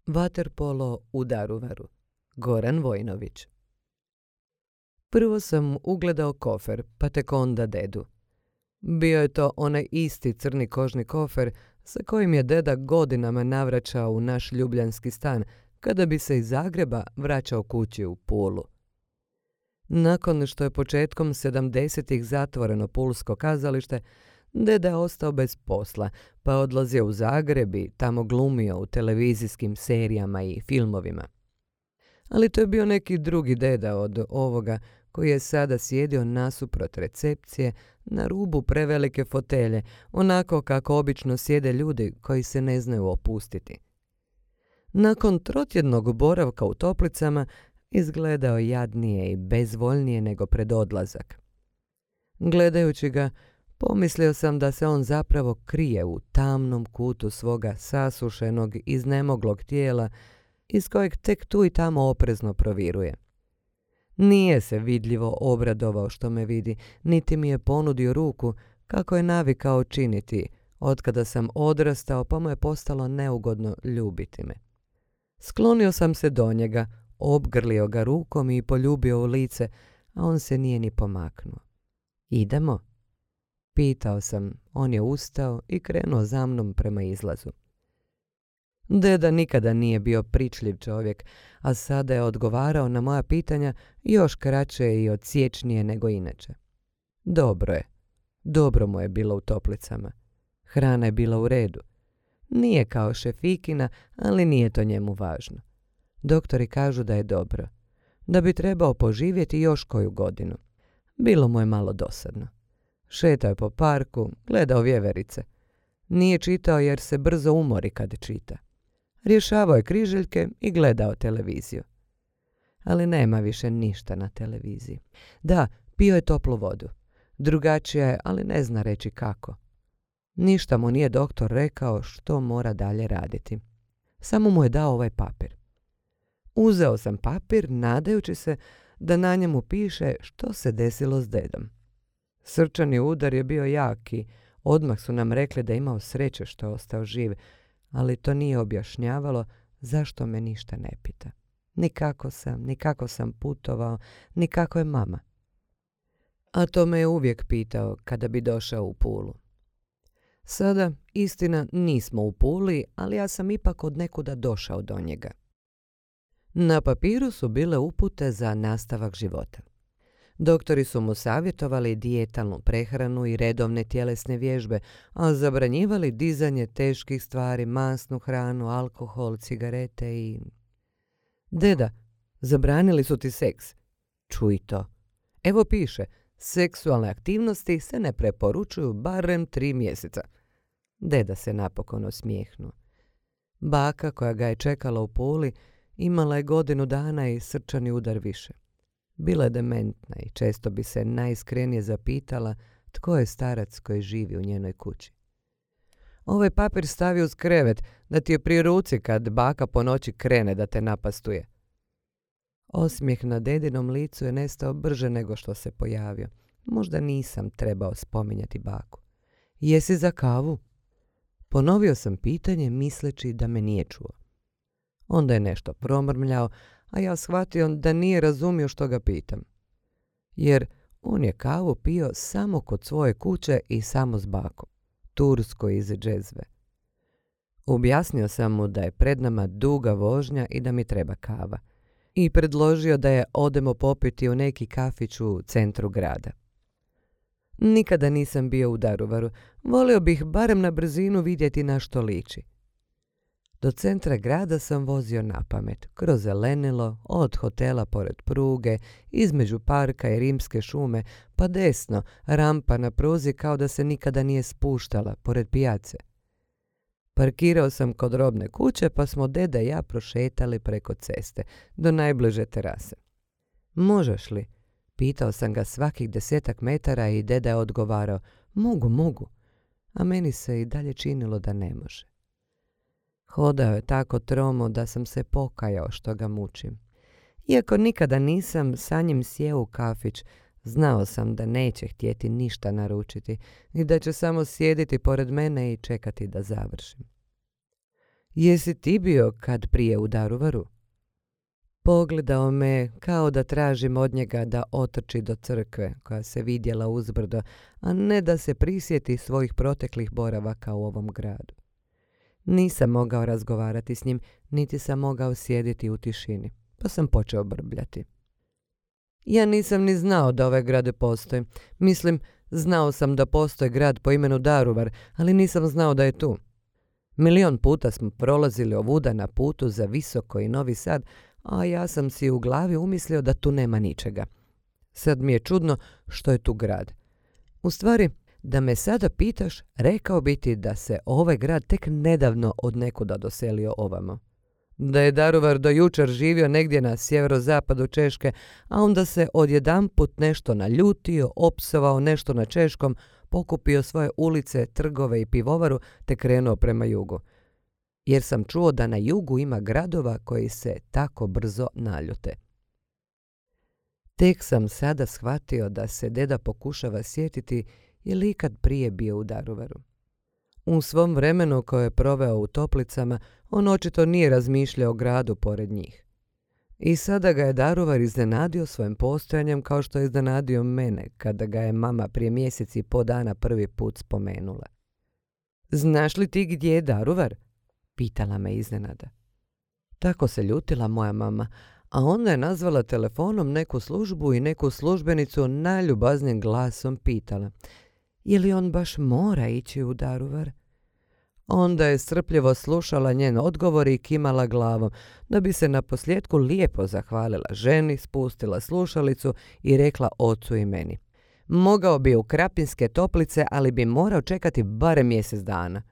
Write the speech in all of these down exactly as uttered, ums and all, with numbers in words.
Vaterpolo u Daruvaru. Goran Vojnović. Prvo sam ugledao kofer, pa tek onda dedu. Bio je to onaj isti crni kožni kofer sa kojim je deda godinama navraćao u naš ljubljanski stan kada bi se iz Zagreba vraćao kući u Pulu. Nakon što je početkom sedamdesetih zatvoreno pulsko kazalište, deda je ostao bez posla, pa odlazio u Zagreb i tamo glumio u televizijskim serijama i filmovima. Ali to je bio neki drugi deda od ovoga koji je sada sjedio nasuprot recepcije na rubu prevelike fotelje, onako kako obično sjede ljudi koji se ne znaju opustiti. Nakon trotjednog boravka u toplicama izgledao jadnije i bezvoljnije nego pred odlazak. Gledajući ga, pomislio sam da se on zapravo krije u tamnom kutu svoga sasušenog, iznemoglog tijela, iz kojeg tek tu i tamo oprezno proviruje. Nije se vidljivo obradovao što me vidi, niti mi je ponudio ruku, kako je navikao činiti, otkada sam odrastao pa mu je postalo neugodno ljubiti me. Sklonio sam se do njega, obgrlio ga rukom i poljubio u lice, a on se nije ni pomaknuo. Idemo? Pitao sam, on je ustao i krenuo za mnom prema izlazu. Deda nikada nije bio pričljiv čovjek, a sada je odgovarao na moja pitanja još kraće i odsječnije nego inače. Dobro je. Dobro mu je bilo u toplicama. Hrana je bila u redu. Nije kao šefikina, ali nije to njemu važno. Doktori kažu da je dobro. Da bi trebao poživjeti još koju godinu. Bilo mu je malo dosadno. Šetao je po parku, gledao vjeverice. Nije čitao jer se brzo umori kad čita. Rješavao je križeljke i gledao televiziju. Ali nema više ništa na televiziji. Da, pio je toplu vodu. Drugačija je, ali ne zna reći kako. Ništa mu nije doktor rekao što mora dalje raditi. Samo mu je dao ovaj papir. Uzeo sam papir, nadajući se da na njemu piše što se desilo s dedom. Srčani udar je bio jak i odmah su nam rekli da je imao sreće što je ostao živ, ali to nije objašnjavalo zašto me ništa ne pita. Ni kako sam, ni kako sam putovao, ni kako je mama. A to me je uvijek pitao kada bi došao u Pulu. Sada, istina, nismo u Puli, ali ja sam ipak od nekuda došao do njega. Na papiru su bile upute za nastavak života. Doktori su mu savjetovali dijetalnu prehranu i redovne tjelesne vježbe, a zabranjivali dizanje teških stvari, masnu hranu, alkohol, cigarete i... Deda, zabranili su ti seks. Čuj to. Evo piše, seksualne aktivnosti se ne preporučuju barem tri mjeseca. Deda se napokon osmijehnuo. Baka koja ga je čekala u Puli imala je godinu dana i srčani udar više. Bila je dementna i često bi se najiskrenije zapitala tko je starac koji živi u njenoj kući. Ovaj papir stavi uz krevet da ti je pri ruci kad baka po noći krene da te napastuje. Osmijeh na dedinom licu je nestao brže nego što se pojavio. Možda nisam trebao spominjati baku. Jesi za kavu? Ponovio sam pitanje misleći da me nije čuo. Onda je nešto promrmljao, a ja shvatio da nije razumio što ga pitam. Jer on je kavu pio samo kod svoje kuće i samo s bakom, tursko iz džezve. Objasnio sam mu da je pred nama duga vožnja i da mi treba kava. I predložio da je odemo popiti u neki kafić u centru grada. Nikada nisam bio u Daruvaru, volio bih barem na brzinu vidjeti na što liči. Do centra grada sam vozio napamet, kroz zelenilo, od hotela pored pruge, između parka i rimske šume, pa desno, rampa na pruzi kao da se nikada nije spuštala, pored pijace. Parkirao sam kod robne kuće, pa smo deda i ja prošetali preko ceste, do najbliže terase. Možeš li? Pitao sam ga svakih desetak metara i deda je odgovarao, mogu, mogu, a meni se i dalje činilo da ne može. Hodao je tako tromo da sam se pokajao što ga mučim. Iako nikada nisam sa njim sjeo u kafić, znao sam da neće htjeti ništa naručiti i da će samo sjediti pored mene i čekati da završim. Jesi ti bio kad prije u Daruvaru? Pogledao me kao da tražim od njega da otrči do crkve koja se vidjela uzbrdo, a ne da se prisjeti svojih proteklih boravaka u ovom gradu. Nisam mogao razgovarati s njim, niti sam mogao sjediti u tišini, pa sam počeo brbljati. Ja nisam ni znao da ovaj grad postoji. Mislim, znao sam da postoji grad po imenu Daruvar, ali nisam znao da je tu. Milion puta smo prolazili ovuda na putu za Visoko i Novi Sad, a ja sam si u glavi umislio da tu nema ničega. Sad mi je čudno što je tu grad. U stvari, da me sada pitaš, rekao bi ti da se ovaj grad tek nedavno od nekuda doselio ovamo. Da je Daruvar do jučer živio negdje na sjeverozapadu Češke, a onda se odjedanput nešto naljutio, opsovao nešto na češkom, pokupio svoje ulice, trgove i pivovaru te krenuo prema jugu. Jer sam čuo da na jugu ima gradova koji se tako brzo naljute. Tek sam sada shvatio da se deda pokušava sjetiti je li ikad prije bio u Daruvaru. U svom vremenu koje je proveo u Toplicama, on očito nije razmišljao o gradu pored njih. I sada ga je Daruvar iznenadio svojim postojanjem kao što je iznenadio mene kada ga je mama prije mjeseci i po dana prvi put spomenula. Znaš li ti gdje je Daruvar? Pitala me iznenada. Tako se ljutila moja mama, a onda je nazvala telefonom neku službu i neku službenicu najljubaznim glasom pitala: je li on baš mora ići u Daruvar? Onda je strpljivo slušala njen odgovor i kimala glavom, da bi se naposljetku lijepo zahvalila ženi, spustila slušalicu i rekla ocu i meni: mogao bi u Krapinske Toplice, ali bi morao čekati barem mjesec dana.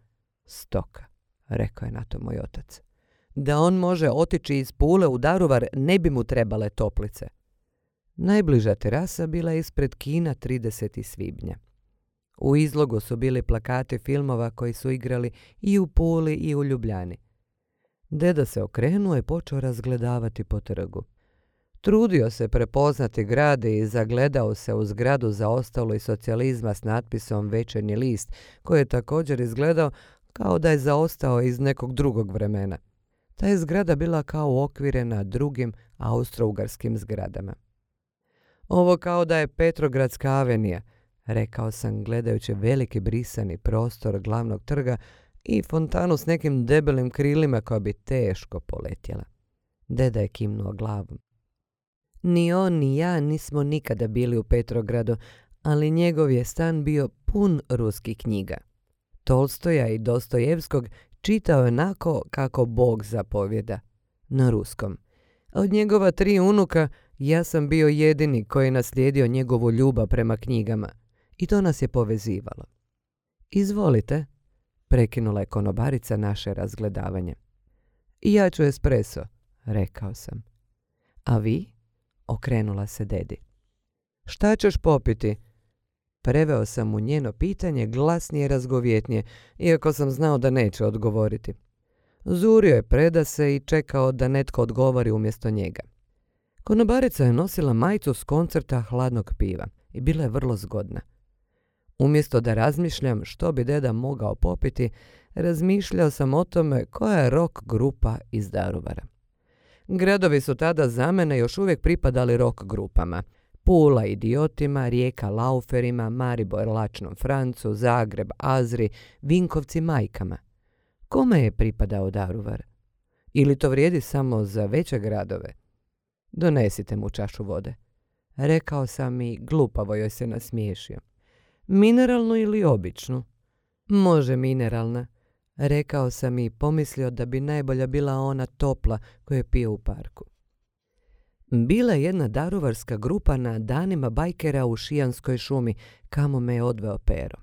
Stoka, rekao je na to moj otac. Da on može otići iz Pule u Daruvar, ne bi mu trebale Toplice. Najbliža terasa bila ispred kina tridesetog svibnja. U izlogu su bili plakati filmova koji su igrali i u Puli i u Ljubljani. Deda se okrenuo i počeo razgledavati po trgu. Trudio se prepoznati grad i zagledao se u zgradu zaostalo iz socijalizma s natpisom Večernji list, koji je također izgledao kao da je zaostao iz nekog drugog vremena. Ta je zgrada bila kao uokvirena drugim austro-ugarskim zgradama. Ovo kao da je Petrogradska avenija, rekao sam gledajući veliki brisani prostor glavnog trga i fontanu s nekim debelim krilima koja bi teško poletjela. Deda je kimnuo glavom. Ni on ni ja nismo nikada bili u Petrogradu, ali njegov je stan bio pun ruskih knjiga. Tolstoja i Dostojevskog čitao je onako kako Bog zapovjeda, na ruskom. Od njegova tri unuka ja sam bio jedini koji je naslijedio njegovu ljubav prema knjigama i to nas je povezivalo. Izvolite, prekinula je konobarica naše razgledavanje. Ja ću espresso, rekao sam. A vi? Okrenula se dedi. Šta ćeš popiti? Preveo sam mu njeno pitanje glasnije i razgovjetnije, iako sam znao da neće odgovoriti. Zurio je predase i čekao da netko odgovori umjesto njega. Konobarica je nosila majicu s koncerta hladnog piva i bila je vrlo zgodna. Umjesto da razmišljam što bi deda mogao popiti, razmišljao sam o tome koja je rock grupa iz Daruvara. Gradovi su tada za mene još uvijek pripadali rock grupama. Pula idiotima, Rijeka lauferima, Maribor lačnom Francu, Zagreb Azri, Vinkovci majkama. Kome je pripadao Daruvar? Ili to vrijedi samo za veće gradove? Donesite mu čašu vode, rekao sam i glupavo joj se nasmiješio. Mineralnu ili običnu? Može mineralna, rekao sam i pomislio da bi najbolja bila ona topla koju je pio u parku. Bila je jedna daruvarska grupa na danima bajkera u Šijanskoj šumi, kamo me je odveo Pero.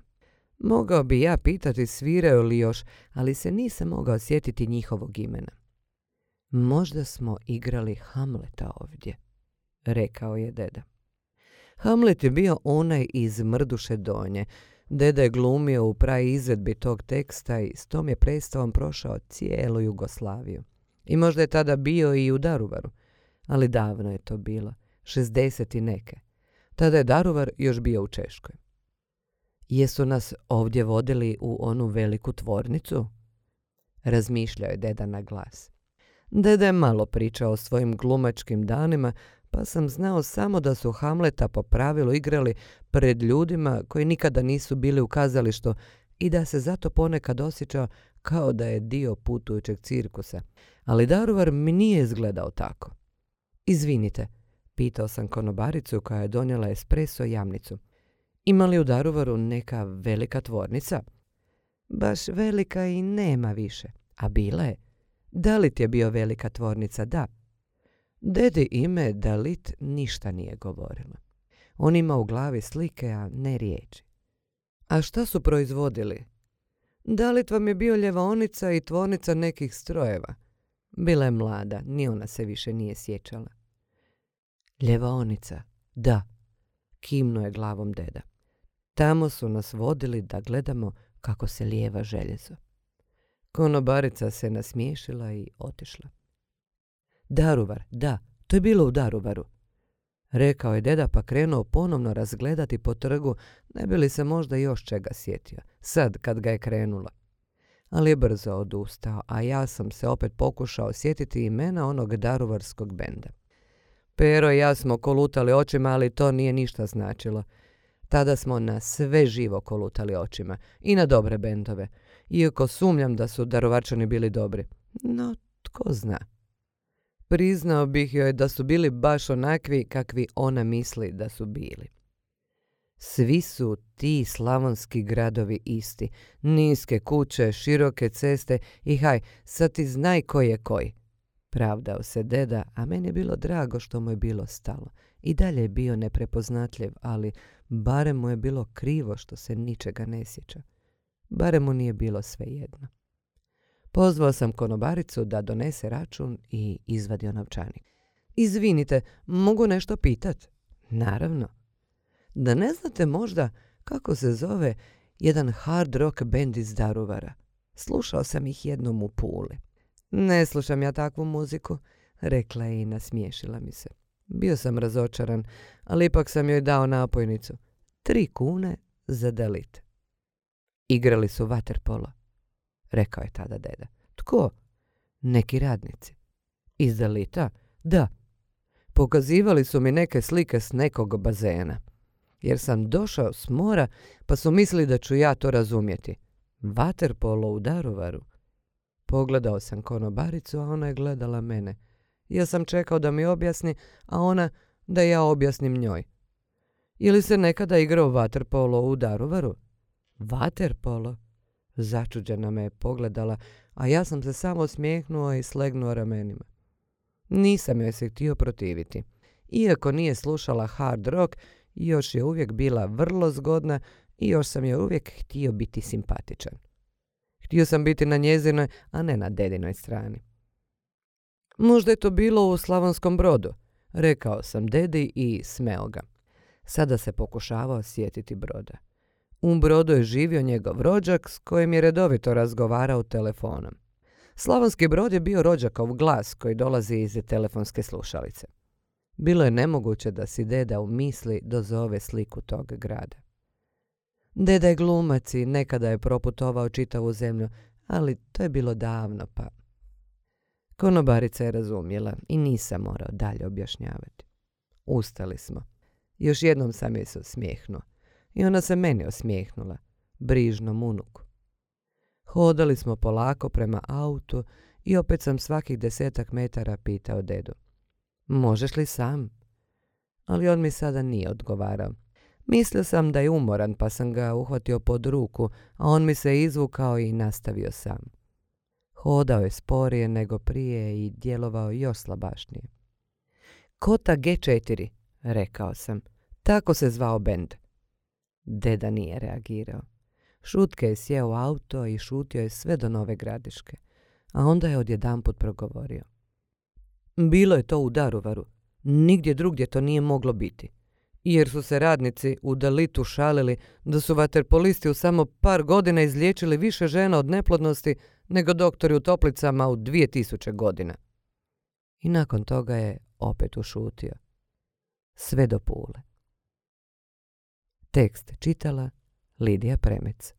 Mogao bi ja pitati sviraju li još, ali se nisam mogao sjetiti njihovog imena. Možda smo igrali Hamleta ovdje, rekao je deda. Hamlet je bio onaj iz Mrduše Donje. Deda je glumio u pravi izvedbi tog teksta i s tom je predstavom prošao cijelu Jugoslaviju. I možda je tada bio i u Daruvaru, ali davno je to bilo, šezdeset i neke. Tada je Daruvar još bio u Češkoj. Jesu nas ovdje vodili u onu veliku tvornicu? razmišljao je deda na glas. Deda je malo pričao o svojim glumačkim danima, pa sam znao samo da su Hamleta po pravilu igrali pred ljudima koji nikada nisu bili u kazalištu i da se zato ponekad osjećao kao da je dio putujućeg cirkusa. Ali Daruvar mi nije izgledao tako. Izvinite, pitao sam konobaricu koja je donijela espresso jamnicu. Ima li u Daruvaru neka velika tvornica? Baš velika i nema više. A bila je. Dalit je bio velika tvornica, da. Dedi ime Dalit ništa nije govorila. On ima u glavi slike, a ne riječi. A šta su proizvodili? Dalit vam je bio ljevaonica i tvornica nekih strojeva. Bila je mlada, ni ona se više nije sjećala. Ljevaonica, da, kimnuo je glavom deda. Tamo su nas vodili da gledamo kako se lijeva željezo. Konobarica se nasmiješila i otišla. Daruvar, da, to je bilo u Daruvaru, rekao je deda pa krenuo ponovno razgledati po trgu, ne bi li se možda još čega sjetio, sad kad ga je krenulo. Ali je brzo odustao, a ja sam se opet pokušao sjetiti imena onog daruvarskog benda. Pero i ja smo kolutali očima, ali to nije ništa značilo. Tada smo na sve živo kolutali očima i na dobre bendove, iako sumnjam da su Daruvarčani bili dobri. No, tko zna. Priznao bih joj da su bili baš onakvi kakvi ona misli da su bili. Svi su ti slavonski gradovi isti, niske kuće, široke ceste i haj, sad ti znaj koji je koji. Pravdao se deda, a meni je bilo drago što mu je bilo stalo. I dalje je bio neprepoznatljiv, ali barem mu je bilo krivo što se ničega ne sjeća. Barem mu nije bilo svejedno. Pozvao sam konobaricu da donese račun i izvadio novčanik. Izvinite, mogu nešto pitat? Naravno. Da ne znate možda kako se zove jedan hard rock band iz Daruvara? Slušao sam ih jednom u Puli. Ne slušam ja takvu muziku, rekla je i nasmiješila mi se. Bio sam razočaran, ali ipak sam joj dao napojnicu. Tri kune za Dalit. Igrali su vaterpolo, rekao je tada deda. Tko? Neki radnici. Iz Dalita? Da. Pokazivali su mi neke slike s nekog bazena. Jer sam došao s mora, pa su mislili da ću ja to razumjeti. Vaterpolo u Daruvaru. Pogledao sam konobaricu, a ona je gledala mene. Ja sam čekao da mi objasni, a ona da ja objasnim njoj. Ili se nekada igrao vaterpolo u Daruvaru? Vaterpolo? Začuđena me je pogledala, a ja sam se samo smijehnuo i slegnuo ramenima. Nisam joj se htio protiviti. Iako nije slušala hard rock, još je uvijek bila vrlo zgodna i još sam joj uvijek htio biti simpatičan. Htio sam biti na njezinoj, a ne na dedinoj strani. Možda je to bilo u Slavonskom Brodu, rekao sam dedi i smeo ga. Sada se pokušavao sjetiti Broda. U Brodu je živio njegov rođak s kojim je redovito razgovarao telefonom. Slavonski Brod je bio rođakov glas koji dolazi iz telefonske slušalice. Bilo je nemoguće da si deda u misli dozove sliku tog grada. Deda je glumac i nekada je proputovao čitavu zemlju, ali to je bilo davno pa... Konobarica je razumjela i nisam morao dalje objašnjavati. Ustali smo. Još jednom sam joj se osmijehnuo. I ona se meni osmijehnula, brižnom unuku. Hodali smo polako prema autu i opet sam svakih desetak metara pitao dedu. Možeš li sam? Ali on mi sada nije odgovarao. Mislio sam da je umoran pa sam ga uhvatio pod ruku, a on mi se izvukao i nastavio sam. Hodao je sporije nego prije i djelovao još slabašnije. Kota G četiri, rekao sam. Tako se zvao bend. Deda nije reagirao. Šutke je sjeo u auto i šutio je sve do Nove Gradiške, a onda je odjedanput progovorio. Bilo je to u Daruvaru. Nigdje drugdje to nije moglo biti. Jer su se radnici u Dalitu šalili da su vaterpolisti u samo par godina izliječili više žena od neplodnosti nego doktori u toplicama u dvije tisuće godina. I nakon toga je opet ušutio. Sve do Pule. Tekst čitala Lidija Premec.